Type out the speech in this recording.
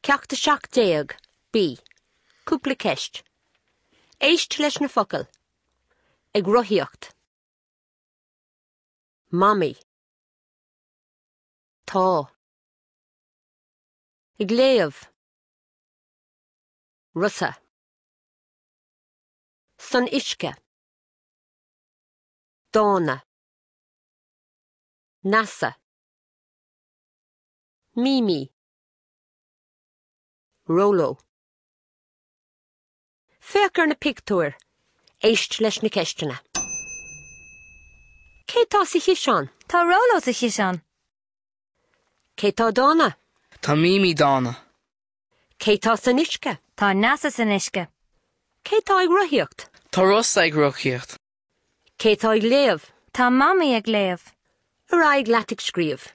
Ceacht 17, B. Cúpla ceist. Éist leis na focail. Ag rothaíocht. Mamaí. Tá. Ag léamh. Rosa. San uisce. Dána. Neasa. Mímí. Róló. Féach ar na pictiúir. Éist leis na ceisteanna. Cé tá sa chiseán? Tá Róló sa chiseán. Cé tá dána? Tá Mímí dána. Cé tá san uisce? Tá Neasa san uisce. Cé tá ag rothaíocht? Tá Rosa ag rothaíocht. Cé tá ag léamh? Tá Mamaí ag léamh. Ar aghaidh leat ag scríobh.